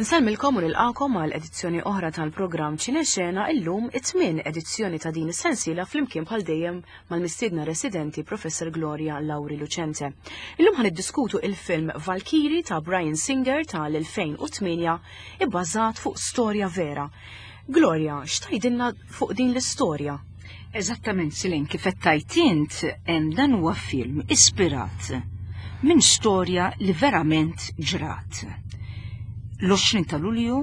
Nsellmilkom u nilqakom għal edizzjoni oħra tal-programm Ċinexena illum it-tmien edizzjoni ta' din is-sensiela flimkien bħal dejjem mal-mistiedna residenti Professor Gloria Lauri Lucente. Illum ħan iddiskutu il-film Valkyrie ta' Brian Singer tal-2008 ibbażat fuq storja vera. Gloria, x'tajdilna fuq din l-istorja? Eżattament, Silin, kif qed tgħid int, dan huwa film ispirat minn storja li verament ġrat. L-20 ta' Lulju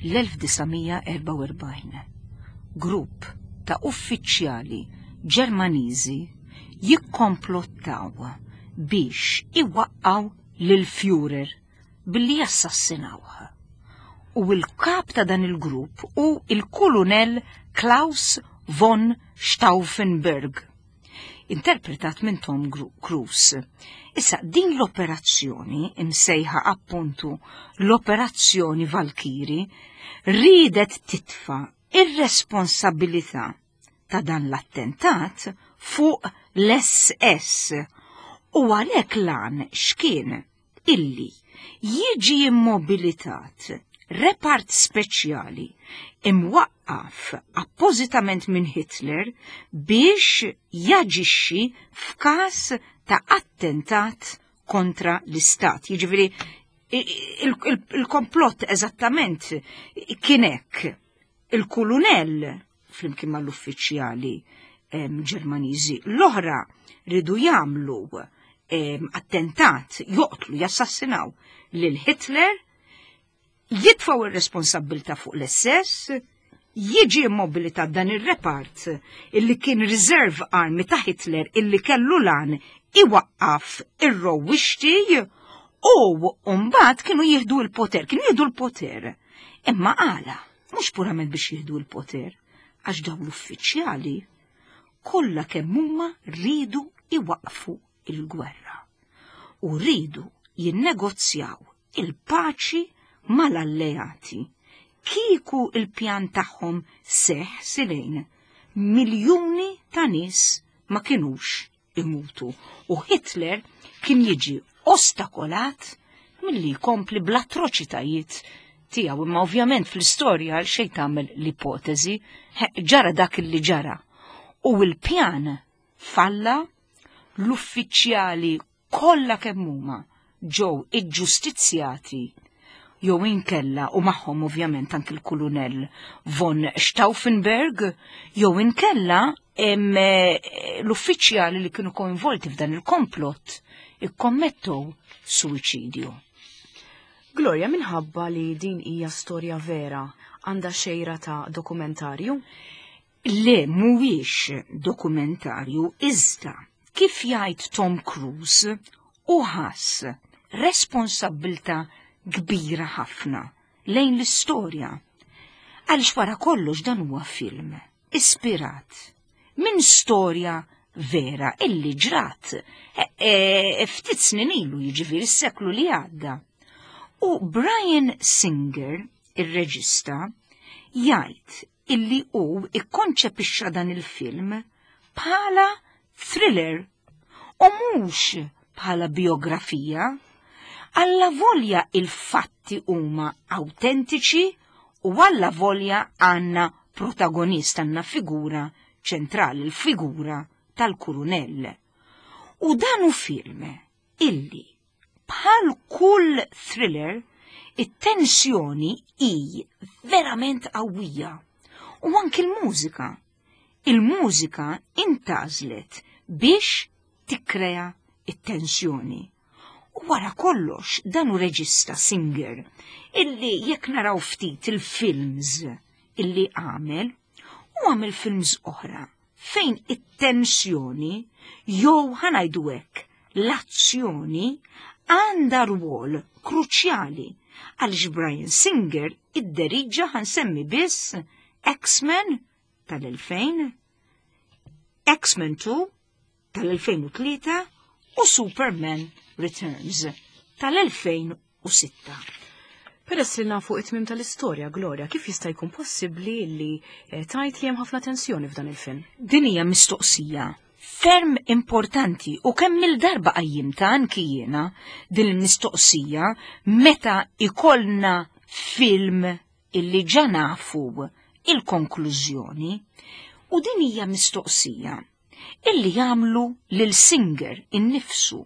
l-1944, grupp ta' uffiċjali Ġermaniżi jikkomplottaw biex iwaqqgħu lil Führer billi jassassinawh. U l-kap ta' dan il-grupp hu il-Kulunell Klaus von Stauffenberg, interpretat minn Tom Cruise. Issa, din l-operazzjoni, imsejħa appuntu l-Operazzjoni Valkyrie, riedet titfa' ir-responsabilità ta' dan l-attentat fuq l-SS u għalhekk lan x'kien illi jiġi immobilitat repart speċjali imwaqqaf appożitament minn Hitler biex jaġixxi f'każ ta' attentat kontra l-istat. Jiġifieri il-komplott eżattament kien hekk. Il-kulunell flimkien mal-uffiċjali Ġermaniżi l-oħra ridu jagħmlu attentat, joqtlu, jassassinaw lil Hitler, jitfaw ir-responsabbilta fuq l-SS, jiġi immobilitat dan ir-repart illi kien reserve army ta' Hitler illi kellu lan iwaqqaf ir-rowwixti u mbagħad kienu jieħdu l-poter, kienu jieħdu l-poter. Imma għala, mhux purament biex jieħdu l-poter, għax dawn l-uffiċjali kollha kemm huma rridu iwaqfu il-gwerra u rridu jinnegozjaw il-paċi mal-alleati. Kieku il-pjan tagħhom seħ silejn, miljuni ta' nies ma kinux imutu u Hitler kien jiġi ostakolat milli jkompli bl-atroċitajiet tiegħu. Imma ovvjament fl-istorja għal xejn tagħmel l-ipoteżi, ġara dak li ġara. U l-pjan falla l-uffiċjali kollha kemm huma ġew iġġustizzjati jew inkella u magħhom ovvjament anki l-kulunell von Stauffenberg jew inkella eh, l-uffiċjali li kienu koinvolti f'dan il-komplott ikkommettew suwiċidju. Gloria, minħabba li din hija storja vera, għandha xejra ta' dokumentarju? Le, mhuwiex dokumentarju iżda kif jgħid Tom Cruise hu ħass responsabbiltà kbira ħafna lejn l-istorja. Għaliex wara kollox dan huwa film ispirat minn storja vera illi ġrat e, e, ftit snin ilu jiġifieri s-seklu li għadda. U Brian Singer, ir-reġista, jgħid illi hu ikkonċepixxa dan il-film bħala thriller u mhux bħala biografija, alla volja il-fatti huma awtentiċi u alla volja għandna protagonist, għandna figura ċentrali, il-figura tal-kurunell. U dan hu film illi Bħal kull thriller, it-tensjoni hi verament qawwija. U anki l-mużika. Il-mużika intgħażlet biex tikkrea it-tensjoni. U wara kollox dan hu reġista Singer illi jekk naraw ftit il-films illi għamel, u għamel films oħra fejn it-tensjoni jew ħa ngħidu hekk l-azzjoni għandha rwol kruċjali għaliex Brian Singer idderiġa ħa nsemmi biss X-Men tal-2000, X-Men 2 tal-2003 u Superman Returns tal-2006. Peress li nafu it-tmim tal-istorja, Gloria, kif jista' jkun possibbli li eh, tajt li hemm ħafna tensjoni f'dan il-film? Din hija mistoqsija ferm importanti u kemm il-darba qajjimta anki jiena din il-mistoqsija meta ikollna film illi ġa nafu il-konklużjoni u din hija mistoqsija illi jagħmlu lil Singer innifsu.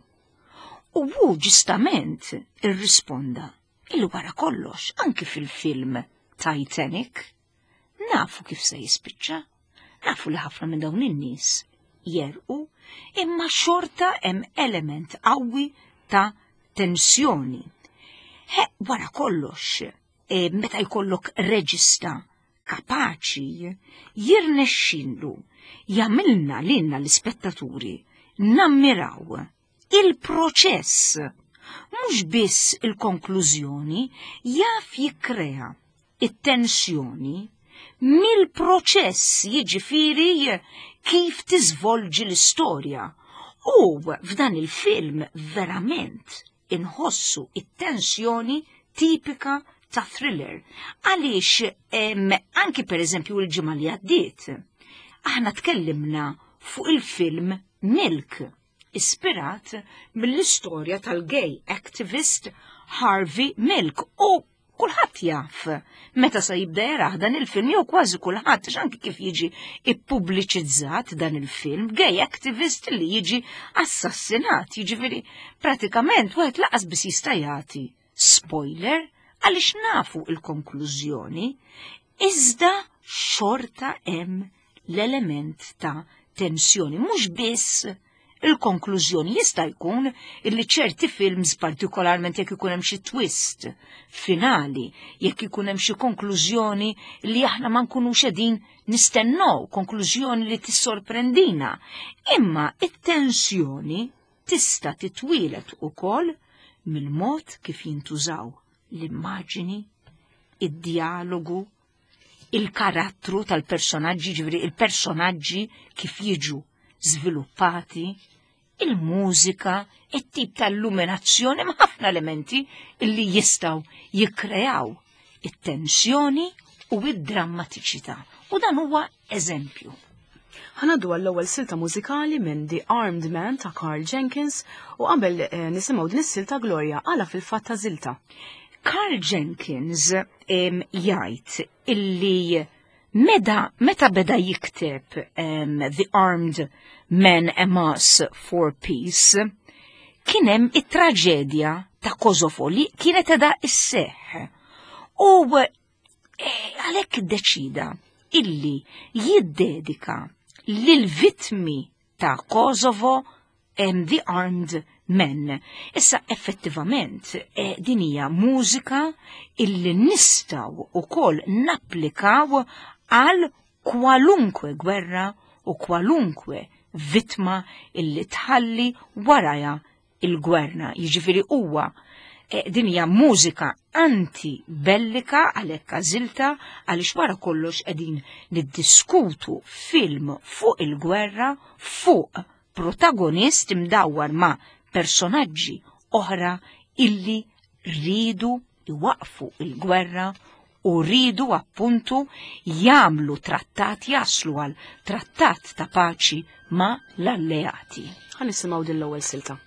U hu ġustament irrisponda illi wara kollox anki fil-film Titanic nafu kif se jispiċċa, nafu li ħafna minn dawn in-nies jerqu, imma xorta hemm element qawwi ta' tensjoni. He, wara kollox, e, meta jkollok reġista kapaċi jirnexxinlu jagħmilna lilna l-ispettaturi nammiraw il-proċess, mhux biss il-konklużjoni, jaf jikkrea it-tensjoni mill-proċess jiġifieri kif tiżvolġi l-istorja. U f'dan il-film verament inħossu it-tensjoni tipika ta' thriller. Għaliex anki per eżempju l-ġimgħa li għaddiet, aħna tkellimna fuq il-film Milk, ispirat mill-istorja tal-gay activist Harvey Milk u kulħadd jaf meta se jibda jarah dan il-film jew kważi kulħadd għax anki kif jiġi ippubbliċizzat dan il-film, gay activist li jiġi assassinat, jiġifieri pratikament wieħed laqas biss jista' jagħti spoiler għaliex nafu il-konklużjoni, iżda xorta hemm l-element ta' tensjoni, mhux biss il-konklużjoni. Jista' jkun illi ċerti films, partikolarment jekk ikun hemm xi twist finali, jekk ikun hemm xi konklużjoni li aħna ma nkunux qegħdin nistennew, konklużjoni li tissorprendina. Imma it-tensjoni tista' titwielet ukoll mill-mod kif jintużaw l-immaġini, id-dialogu, il-karattru tal-personaġġi, ġifieri il-personaġġi kif jiġu żviluppati, il-mużika, it-tip ta' illuminazzjoni, ma' ħafna elementi illi jistgħu jikkreaw it-tensjoni u id-drammatiċità. U dan huwa eżempju. Ħanaddu għall-ewwel silta mużikali minn The Armed Man ta' Karl Jenkins u qabel eh, nisimgħu din is-silta Gloria għala fil-fatt ta' żilta. Karl Jenkins jgħid illi meda meta beda jikteb The Armed Man Amass for Peace kien hemm it-traġedja ta' Kosovo li kienet edha isseħ. U eh, għalhekk iddeċida illi jiddedika lil vittmi ta' Kosovo and The Armed Men. Issa effettivament eh, din hija mużika illi nistgħu ukoll napplikaw għal kwalunkwe gwerra u kwalunkwe vittma illi tħalli waraja il-gwerna. Jiġifieri huwa eh, din hija mużika anti-bellika għalhekk għażilta għaliex wara kollox qegħdin niddiskutu film fuq il-gwerra fuq protagonist imdawwar ma' personaġġi oħra illi rridu iwaqfu il-gwerra u rridu appuntu jagħmlu trattat jaslu għal trattat ta' paċi ma' l-alleati. Ħa nisimgħu din l-ewwel silta.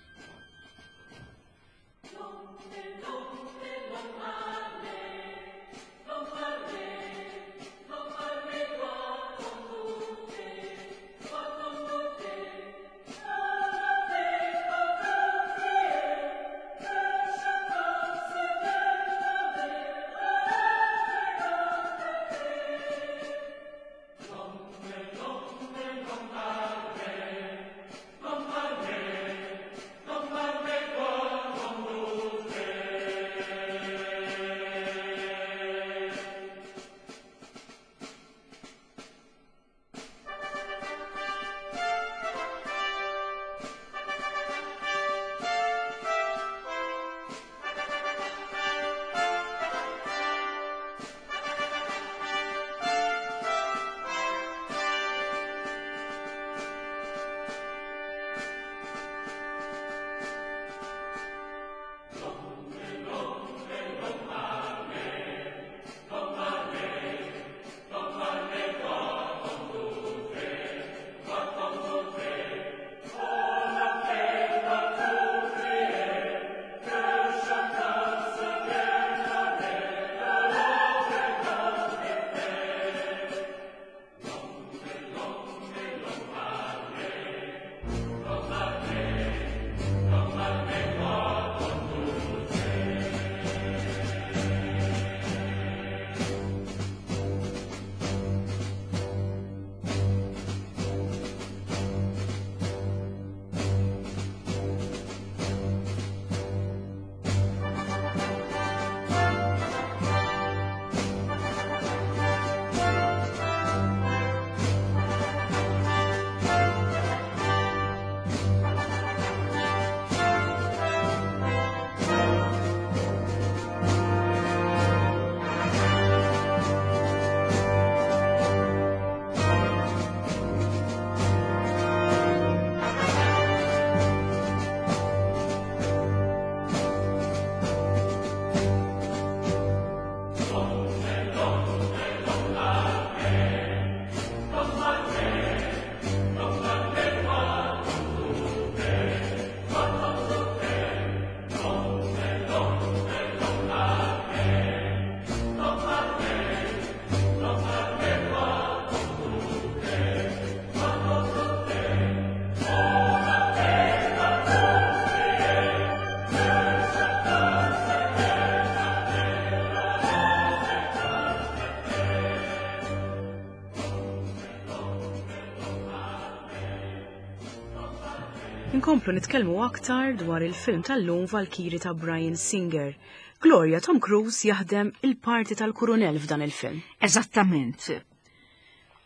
Inkomplu nitkellmu aktar dwar il-film tal-lum Valkyrie ta' Bryan Singer. Gloria, Tom Cruise jaħdem il-parti tal-kurunell f'dan il-film. Eżattament.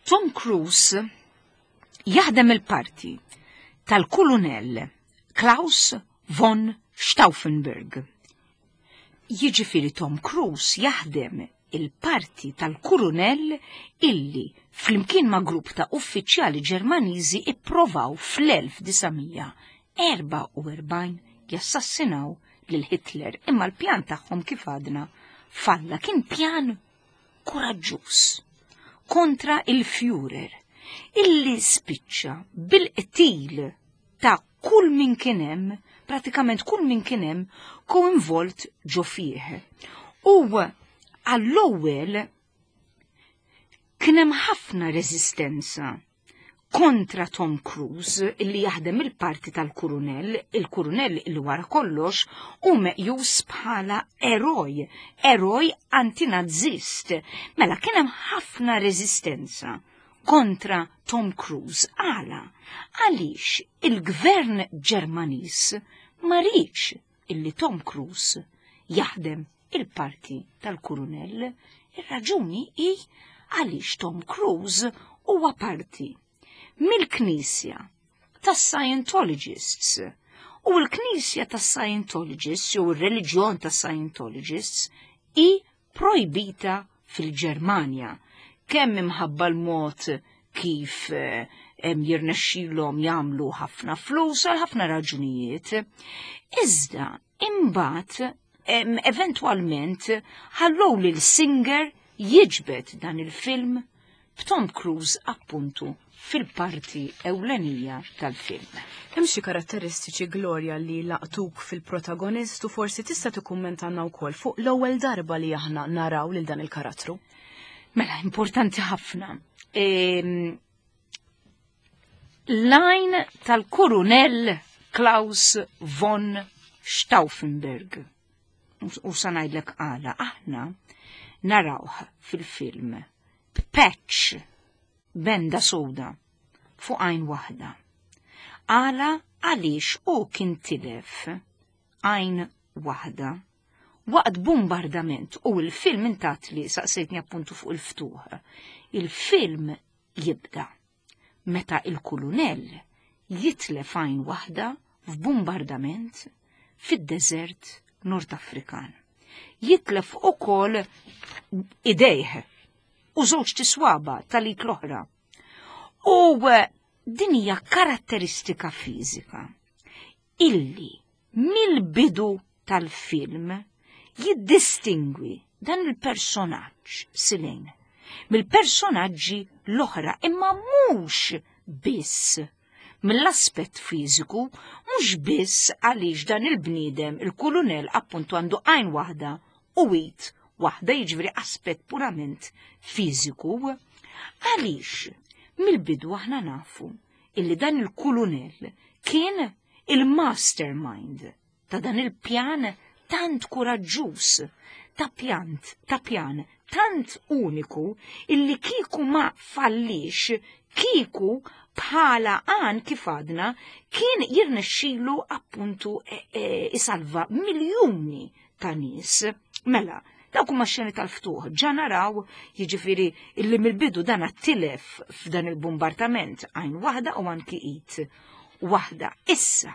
Tom Cruise jaħdem il-parti tal-kulunell Klaus von Stauffenberg. Jiġifieri Tom Cruise jaħdem il-parti tal-kurunell illi flimkien ma' grupp ta' uffiċjali Ġermaniżi ipprovaw fl-1944 jassassinaw lil Hitler, imma l-pjan tagħhom kif għadna falla. Kien pjan kuraġġuż kontra il-Führer illi spiċċa bil-qtil ta' kull min kien hemm, pratikament kull min kien hemm koinvolt ġo fih. U għall-ewwel kien hemm ħafna reżistenza kontra Tom Cruise illi jaħdem il-parti tal-kurunell, il-kurunell illi wara kollox hu meqjus bħala eroj, eroj antinazist. Mela kien hemm ħafna reżistenza kontra Tom Cruise. Għala? Għaliex il-gvern Ġermaniż ma riedx illi Tom Cruise jaħdem il-parti tal-kurunell. Ir-raġuni hi għaliex Tom Cruise huwa parti mill-Knisja tas-Scientologists. U l-Knisja tas-Scientologists jew ir-reliġjon tas-Scientologists hi projbita fil-Ġermanja, kemm imħabba l-mod kif eh, jirnexxilhom jagħmlu ħafna flus għal ħafna raġunijiet. Iżda imbagħad eventwalment ħallew lil Singer jiġbed dan il-film b'Tom Cruise appuntu fil-parti ewlenija tal-film. Hemm xi karatteristiċi, Gloria, li laqtuk fil-protagonist u forsi tista' tikkummentanna wkoll fuq l-ewwel darba li aħna naraw lil dan il-karattru? Mela, importanti ħafna. L-għajn tal-Kurunell Klaus von Stauffenberg. U sa ngħidlek għala, aħna narawh fil-film b'patch, benda soda fuq għajn waħda. Għala? Għaliex hu kien tilef għajn waħda waqt bombardament u l-film intat li saqsejtni appuntu fuq il-ftuħ. Il-film jibda meta il-kulunell jitlef għajn waħda f'bombardament fid-deżert Nord Afrikan. Jitlef ukoll idejh u żewġ tiswaba tal-id l-oħra. U eh, din hija karatteristika fiżika illi mill-bidu tal-film jiddistingwi dan il-personaġġ Silejn mill-personaġġi l-oħra, imma mhux biss mill-aspett fiżiku, mhux biss għaliex dan il-bniedem, il-kulunell appuntu għandu għajn waħda u id waħda, jiġifieri aspett purament fiżiku, għaliex mill-bidu aħna nafu illi dan il-kulunell kien il-mastermind ta' dan il-pjan tant kuraġġuż, ta' pjant, ta' pjan tant uniku illi kieku ma fallix, kieku bħala għan kif għadna kien jirnexxilu appuntu e, e, isalva miljuni ta' nies. Mela, dawk huma xeni tal-ftuħ, ġa naraw jiġifieri illi mill-bidu dan tilef f'dan il-bombardament għajn waħda u anki id waħda. Issa,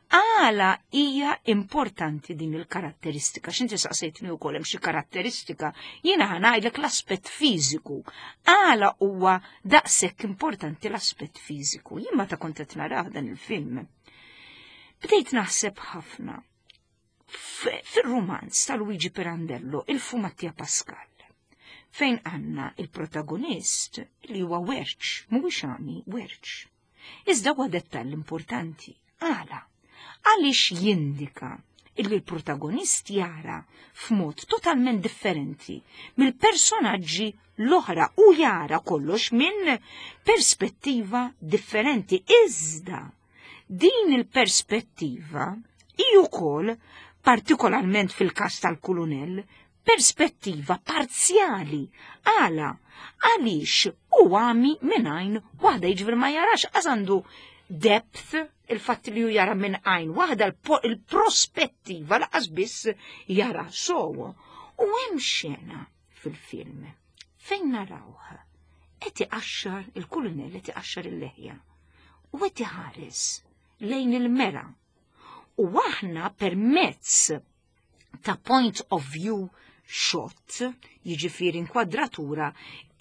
għala hija importanti din il-karatteristika? X'inti saqsejtni wkoll hemm xi karatteristika, jiena ħa ngħidlek l-aspett fiżiku. Għala huwa daqshekk importanti l-aspett fiżiku? Jien meta kont qed narah dan il-film, bdejt naħseb ħafna fil-rumanz ta' Luigi Pirandello, Il-Fumattia Pascal, fejn għandna il-protagonist li huwa werċ, mhuwiex għami, werċ. Iżda huwa dettall importanti. Għala? Għaliex jindika illi l-protagonist jara f'mod totalment differenti mill-personaġġi l-oħra u jara kollox minn perspettiva differenti. Iżda din il-perspettiva hi wkoll, partikolarment fil-każ tal-kulunell, perspettiva parzjali. Għala? Għaliex hu għami minn għajn waħda, jiġifieri ma jarax, għax għandu depth, il-fatt li ju jara minn għajn waħda il-prospettiva laqas biss jara sow. U hemm xena fil-film fejn narawh qed iqaxxar il-kulunell qed iqaxxar il-leħja u qed iħares lejn il-mera. U aħna permezz ta' point of view shot, jiġifieri inkwadratura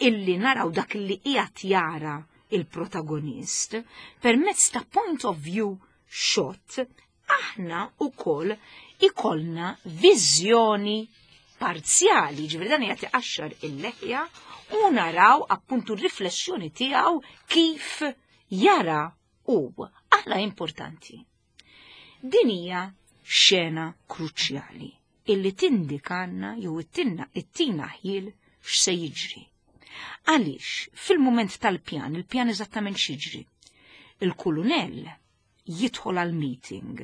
illi naraw dak li qiegħed jara il-protagonist, permezz ta' point of view shot, aħna ukoll ikollna viżjoni parzjali, ġifieri dan qiegħed iqaxxar il-leħja u naraw appuntu r-riflessjoni tiegħu kif jara hu. Aħna importanti. Din hija xena kruċjali illi tindikanna jew ittinna ittina ħjiel x'se jiġri. Għaliex fil-mument tal-pjan, il-pjan eżattament x'jiġri. Il-kulunell jidħol għal meeting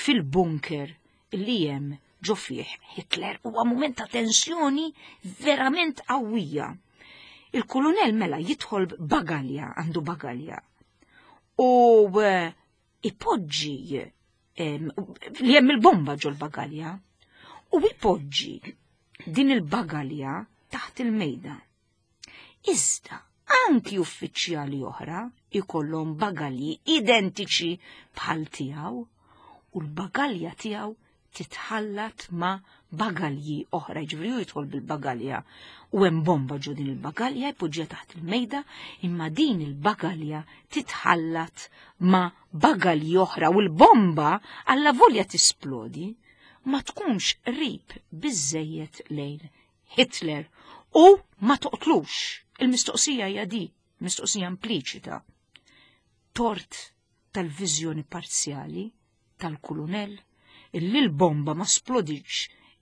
fil-bunker li hemm ġo fih Hitler. Huwa mument ta' tensjoni verament qawwija. Il-kulunell mela jidħol bagalja, għandu bagalja. U eh, ipoġġi li hemm il-bomba ġol bagalja u ipoġġi din il-bagalja taħt il-mejda. Iżda anki uffiċjali oħra ikollhom bagalji identiċi bħal tiegħu u l-bagalja tiegħu titħallat ma' bagalji oħra, jiġifieri hu jidħol bil-bagalja u hemm bomba ġo din il-bagalja jpoġġiha taħt il-mejda, imma din il-bagalja titħallat ma' bagalji oħra u l-bomba alla volja tisplodi ma tkunx qrib biżejjed lejn Hitler u ma toqtlux. Il-mistoqsija hija di, mistoqsija impliċita. Tort tal-viżjoni parzjali tal-kulunell illi l-bomba ma splodiċ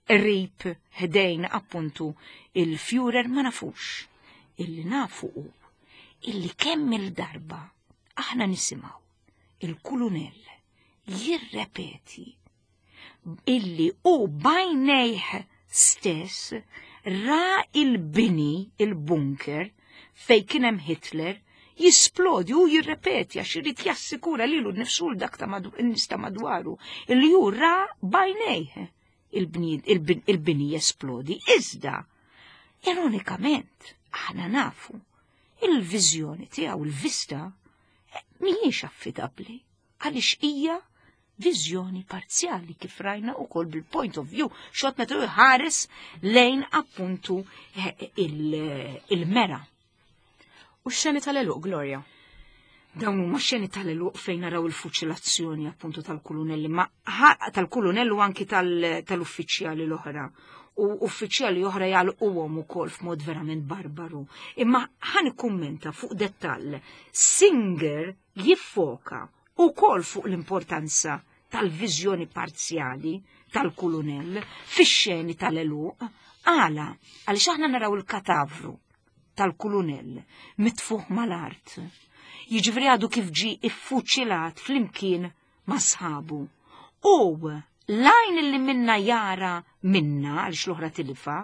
qrib ħdejn appuntu il-Führer ma nafux. Illi nafu hu illi kemm il-darba aħna nisimgħu il-kulunell jirrepeti illi u bajnejh stess ra il-bini, il-bunker, fej kien hemm Hitler, jisplodi u jirrepeti għax irid jassikura lilu nnifsu l dak ta' n-nies ta' madwaru illi hu ra bajnejh il-bini jesplodi. Iżda, ironikament, aħna nafu il-viżjoni tiegħu, il-vista, mhijiex affidabbli għaliex hija viżjoni parzjali kif rajna wkoll bil-point of view xot meta jħares lejn appuntu eh, il-mera. U x-xeni tal-eluq, Gloria? Dawn huma xeni tal-eluq fejn naraw il-fuċilazzjoni appuntu tal-kulunelli, ma tal-kulunellu anki tal-uffiċjali l-oħra. U uffiċjali oħra jgħalquhom ukoll f'mod verament barbaru. Imma ħan ikkummenta fuq dettall. Singer jiffoka ukoll fuq l-importanza tal-viżjoni parzjali tal-kulunell fix-xeni tal-eluq. Għala, għaliex aħna naraw il-katavru tal-kulunell mitfuħ mal-art. Jiġifieri għadu kif ġie iffuċilat flimkien ma' sħabu. U l-għajn li minna jara minna għaliex l-oħra tilifa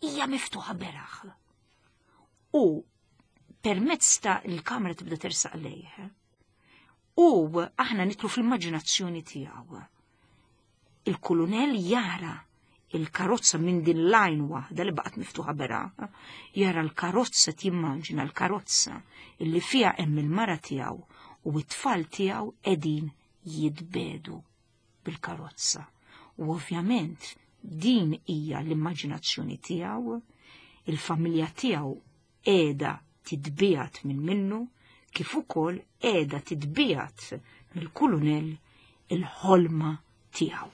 hija miftuħa beraħ. U permezz ta' il-kamera tibda tersaq lejh. U aħna nitlu fl-immaġinazzjoni tiegħu. Il-kulunell jara il-karozza minn din lajn waħda li baqgħet miftuħa bera, jara l-karozza timmaġina l-karozza illi fiha hemm il-mara tiegħu u t-tfal tiegħu qegħdin jitbedu bil-karozza. U ovvjament din hija l-immaġinazzjoni tiegħu, il-familja tiegħu qiegħda titbiegħed minn minnu kif ukoll qiegħda titbiegħed mill-kulunell il-ħolma tiegħu.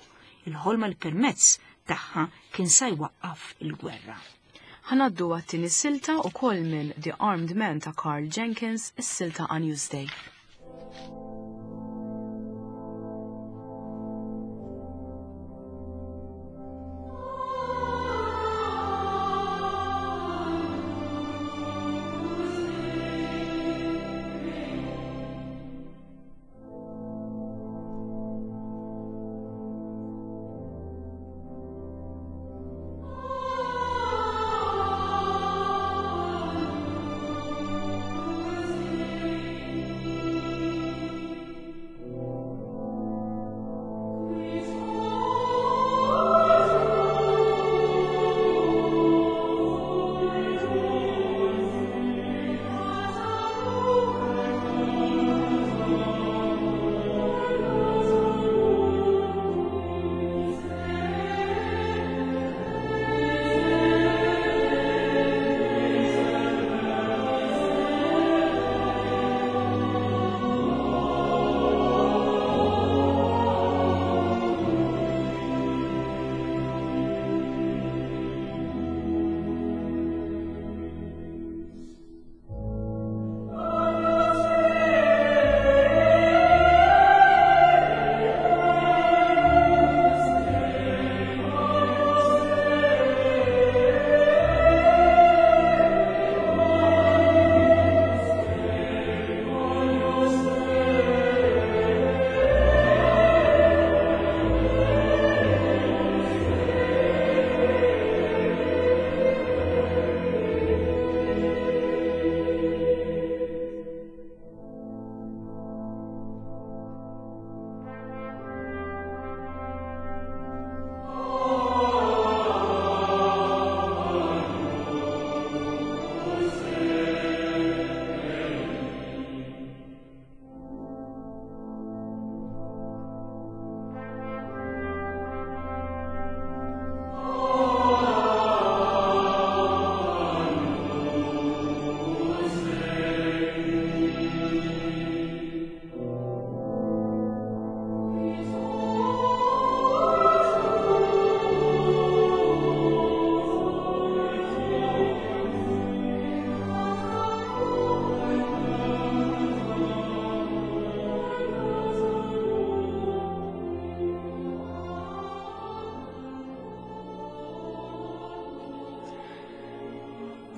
Il-ħolma li permezz tagħha kien sa jwaqqaf il-gwerra. Ħa ngħaddu għat-tieni silta ukoll minn The Armed Man ta' Karl Jenkins, is-silta A Newsday.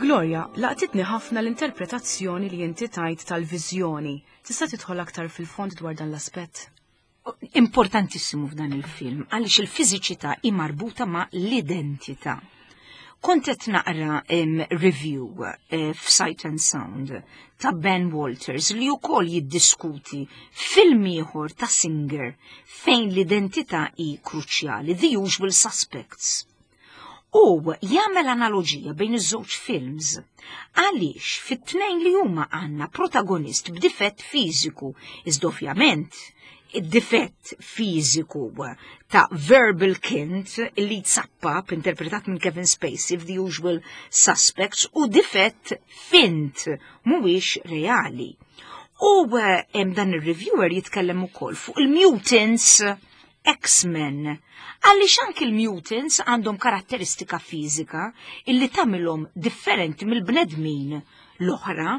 Gloria, laqtitni ħafna l-interpretazzjoni li inti tajt tal-viżjoni. Tista' tidħol aktar fil-fond dwar dan l-aspett? Importantissimu f'dan il-film għaliex il-fiżiċità hi marbuta ma' l-identità. Kont qed naqra review f'Sight and Sound ta' Ben Walters li wkoll jiddiskuti film ieħor ta' Singer fejn l-identità hi kruċjali, The Usual Suspects. U jagħmel analoġija bejn iż-żewġ films. Għaliex fit-tnejn li huma għandna protagonist b'difett fiżiku, iżda ovvjament id-difett fiżiku ta' Verbal Kint li tsappap interpretat minn Kevin Spacey f'The Usual Suspects u difett fint mhuwiex reali. U hemm dan ir-reviewer jitkellem ukoll fuq il-mutants X-Men. Għaliex anki l-mutants għandhom karatteristika fiżika illi tagħmilhom differenti mill-bnedmin l-oħra.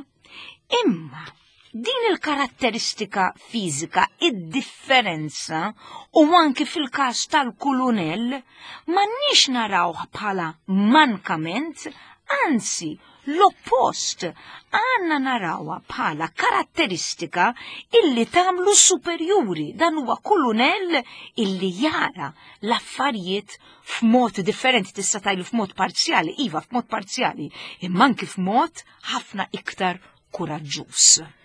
Imma din il-karatteristika fiżika, id-differenza u anki fil-każ tal-kulunell m'għandniex narawh bħala mankament, anzi l-oppost, għandna narawha bħala karatteristika illi tagħmlu superjuri. Dan huwa kulunell illi jara l-affarijiet f'mod differenti, tista' tgħidlu f'mod parzjali, iva f'mod parzjali, imma anki f'mod ħafna iktar kuraġġuż.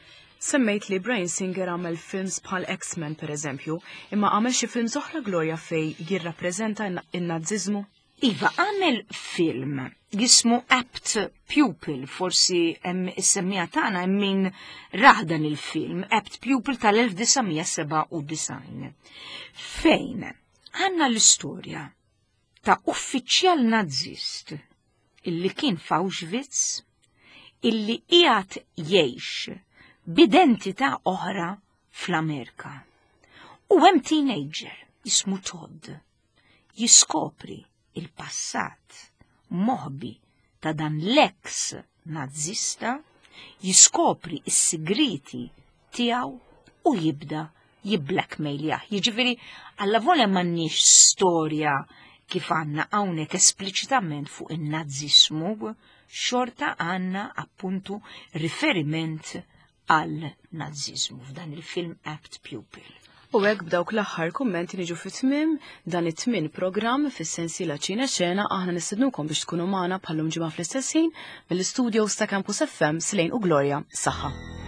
Semmejt li Bryan Singer għamel films bħal X-Men per eżempju, imma għamel xi films oħra Gloria fej jirrappreżenta n-Naziżmu? Iva, għamel film jismu Apt Pupil, forsi hemm is-semmija tagħna hemm min rah dan il-film, Apt Pupil tal-1997. Fejn għandna l-istorja ta' uffiċjal Nazist illi kien f'Auschwitz illi qiegħed jgħix b'identità oħra fl-Amerika. U hemm teenager jismu Todd jiskopri il-passat moħbi ta' dan l-eks Nazista, jiskopri s-sigriti tiegħu u jibda jibblackmailjah. Jiġifieri allavolja m'għandniex storja kif għandna hawnhekk espliċitament fuq in-Naziżmu, xorta għandna appuntu riferiment għal Naziżmu f'dan il-film Apt Pupil. U hekk b'dawk l-aħħar kummenti niġu fi tmiem dan it-tmien programm fis-sensiela Ċine Xena. Aħna nistednukom biex tkunu magħna bħallum ġimgħa fl-istess ħin mill-istudios ta' Campus FM. Slejn u Gloria, saħħa.